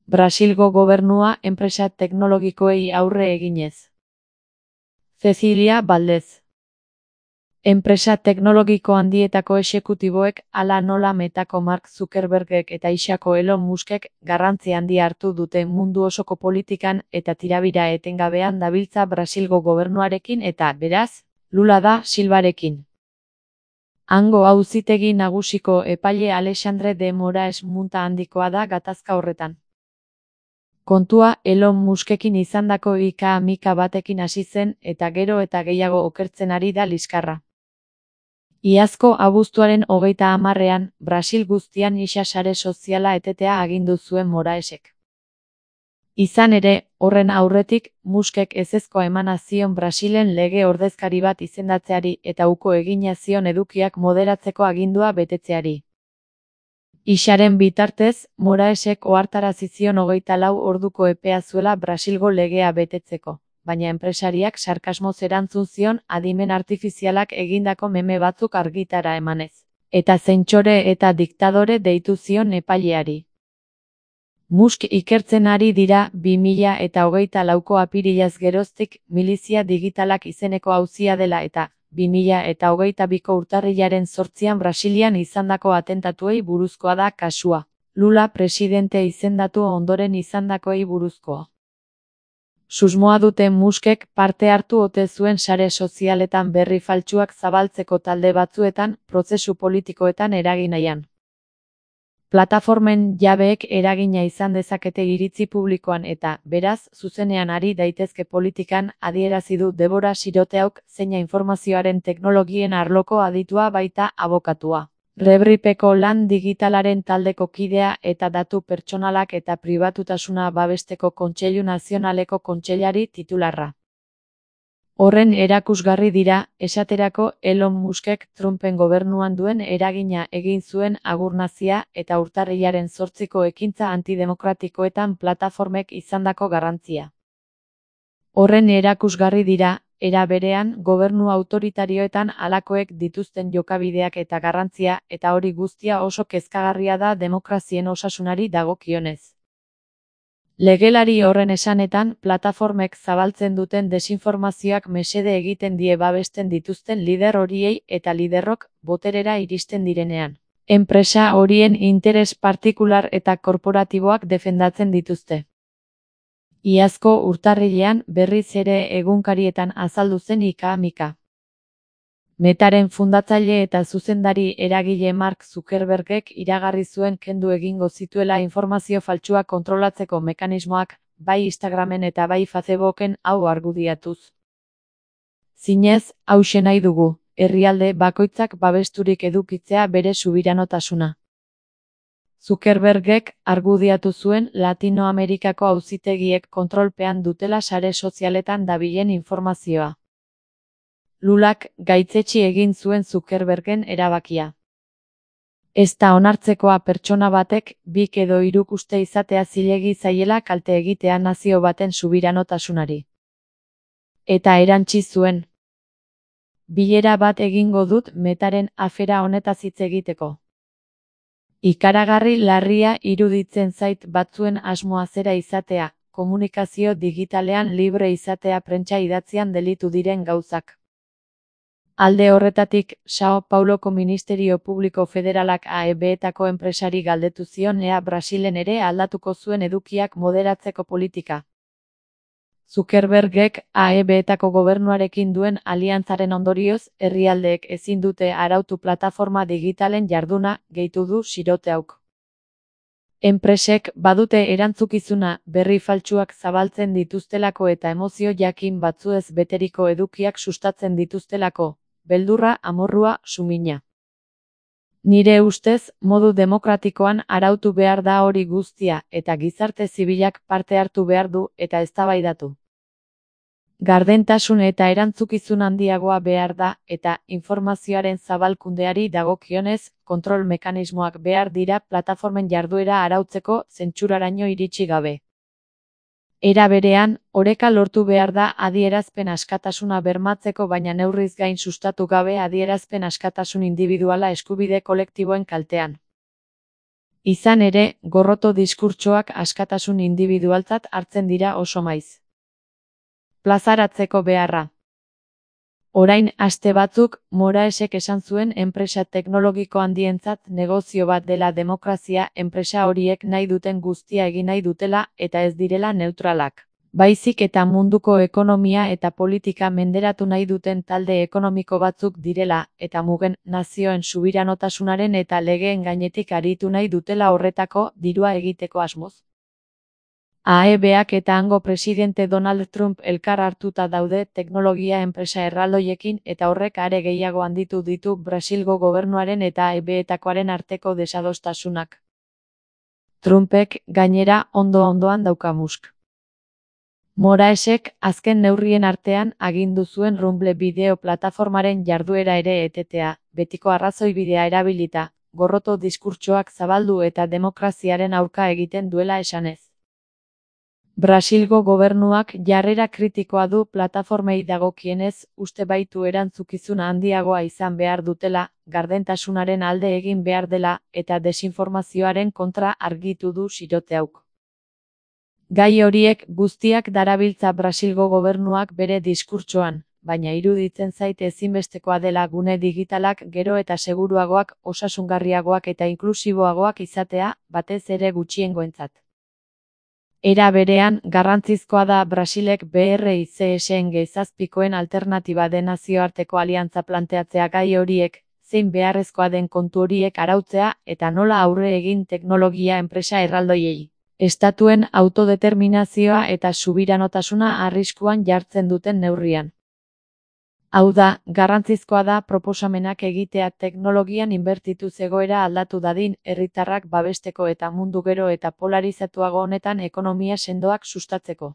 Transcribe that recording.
Brasilgo gobernua enpresa teknologikoei aurre eginez. Cecilia Valdez. Enpresa teknologiko handietako exekutiboek hala nola Metako Mark Zuckerbergek eta isako Elon Muskek garrantzi handia hartu dute mundu osoko politikan eta tirabira etengabean dabiltza Brasilgo gobernuarekin eta, beraz, Lula da Silvarekin. Hango auzitegi nagusiko epaile Alexandre de Moraes munta handikoa da gatazka horretan. Kontua Elon Muskekin izandako ika-mika batekin hasi zen eta gero eta gehiago okertzen ari da liskarra. Iazko abuztuaren 30ean, Brasil guztian isa sare soziala etetea agindu zuen Moraesek. Izan ere, horren aurretik, Muskek ezezkoa emana zion Brasilen lege ordezkari bat izendatzeari eta uko egina zion edukiak moderatzeko agindua betetzeari. Isaren bitartez, Moraesek ohartarazi zion 24 orduko epea zuela Brasilgo legea betetzeko, baina enpresariak sarkasmoz erantzun zion adimen artifizialak egindako meme batzuk argitara emanez, eta zentsore eta diktadore deitu zion epaileari. Musk ikertzen ari dira 2024ko apirilaz geroztik milizia digitalak izeneko auzia dela eta 2022ko urtarrilaren 8an Brasilian izandako atentatuei buruzkoa da kasua, Lula presidente izendatu ondoren izandakoei buruzkoa. Susmoa dute Muskek parte hartu ote zuen sare sozialetan berri faltsuak zabaltzeko talde batzuetan, prozesu politikoetan eragin nahian. Plataformen jabeek eragina izan dezakete iritzi publikoan eta, beraz, zuzenean ari daitezke politikan, adierazi du Debora Siroteauk, zeina informazioaren teknologien arloko aditua baita abokatua. Rebripeko lan digitalaren taldeko kidea eta datu pertsonalak eta pribatutasuna babesteko Kontseilu Nazionaleko kontseilari titularra. Horren erakusgarri dira, esaterako Elon Muskek Trumpen gobernuan duen eragina egin zuen agurnazia eta urtarrilaren 8ko ekintza antidemokratikoetan plataformek izandako garrantzia. Horren erakusgarri dira, era berean, gobernu autoritarioetan halakoek dituzten jokabideak eta garrantzia, eta hori guztia oso kezkagarria da demokrazien osasunari dagokionez. Legelari horren esanetan, plataformek zabaltzen duten desinformazioak mesede egiten die babesten dituzten lider horiei eta liderrok boterera iristen direnean. Enpresa horien interes partikular eta korporatiboak defendatzen dituzte. Iazko urtarrilean berriz ere egunkarietan azaldu zen ika-mika. Metaren fundatzaile eta zuzendari eragile Mark Zuckerbergek iragarri zuen kendu egingo zituela informazio faltsua kontrolatzeko mekanismoak, bai Instagramen eta bai Facebooken hau argudiatuz. Zinez, hauxe nahi dugu, herrialde bakoitzak babesturik edukitzea bere subiranotasuna. Zuckerbergek argudiatu zuen Latinoamerikako auzitegiek kontrolpean dutela sare sozialetan dabilen informazioa. Lulak gaitzetsi egin zuen Zuckerbergen erabakia. Ez da onartzekoa pertsona batek, 2 edo 3 uste izatea zilegi zaiela kalte egitea nazio baten subiranotasunari. Eta erantsi zuen. Bilera bat egingo dut Metaren afera honetaz hitz egiteko. Ikaragarri larria iruditzen zait batzuen asmoa zera izatea, komunikazio digitalean libre izatea prentsa idatzian delitu diren gauzak. Alde horretatik, Sao Pauloko Ministerio Publiko Federalak AEB-etako enpresari galdetu zion ea Brasilen ere aldatuko zuen edukiak moderatzeko politika. Zuckerbergek AEB-etako gobernuarekin duen aliantzaren ondorioz, herrialdeek ezin dute arautu plataforma digitalen jarduna, gehitu du Siroteauk. Enpresek badute erantzukizuna berri faltsuak zabaltzen dituztelako eta emozio jakin batzuez beteriko edukiak sustatzen dituztelako, beldurra, amorrua, sumina. Nire ustez, modu demokratikoan arautu behar da hori guztia eta gizarte zibilak parte hartu behar du eta eztabaidatu. Gardentasun eta erantzukizun handiagoa behar da eta informazioaren zabalkundeari dagokionez, kontrol mekanismoak behar dira plataformen jarduera arautzeko zentsuraraino iritsi gabe. Era berean, oreka lortu behar da adierazpen askatasuna bermatzeko baina neurriz gain sustatu gabe adierazpen askatasun indibiduala eskubide kolektiboen kaltean. Izan ere, gorroto diskurtsoak askatasun indibidualtzat hartzen dira oso maiz. Plazaratzeko beharra. Orain aste batzuk, Moraesek esan zuen enpresa teknologiko handientzat negozio bat dela demokrazia, enpresa horiek nahi duten guztia egin nahi dutela eta ez direla neutralak. Baizik eta munduko ekonomia eta politika menderatu nahi duten talde ekonomiko batzuk direla, eta mugen nazioen subiranotasunaren eta legeen gainetik aritu nahi dutela horretako dirua egiteko asmoz. AEBak eta hango presidente Donald Trump elkar hartuta daude teknologia enpresa erraldoiekin eta horrek are gehiago handitu ditu Brasilgo gobernuaren eta AEBetakoaren arteko desadostasunak. Trumpek, gainera, ondo-ondoan dauka Musk. Moraesek azken neurrien artean agindu zuen Rumble bideo plataformaren jarduera ere etetea, betiko arrazoi bidea erabilita, gorroto diskurtsoak zabaldu eta demokraziaren aurka egiten duela esanez. Brasilgo gobernuak jarrera kritikoa du plataformei dagokienez, uste baitu erantzukizuna handiagoa izan behar dutela, gardentasunaren alde egin behar dela eta desinformazioaren kontra argitu du Xiroteauk. Gai horiek guztiak darabiltza Brasilgo gobernuak bere diskurtsoan, baina iruditzen zait ezinbestekoa dela gune digitalak gero eta seguruagoak, osasungarriagoak eta inklusiboagoak izatea, batez ere gutxiengoentzat. Era berean, garrantzizkoa da Brasilek BRICS-en G7koen alternatiba den nazioarteko aliantza planteatzea gai horiek, zein beharrezkoa den kontu horiek arautzea eta nola aurre egin teknologia enpresa erraldoiei. Estatuen autodeterminazioa eta subiranotasuna arriskuan jartzen duten neurrian. Hau da, garrantzizkoa da proposamenak egitea teknologian inbertituz egoera aldatu dadin, herritarrak babesteko eta mundu gero eta polarizatuago honetan ekonomia sendoak sustatzeko.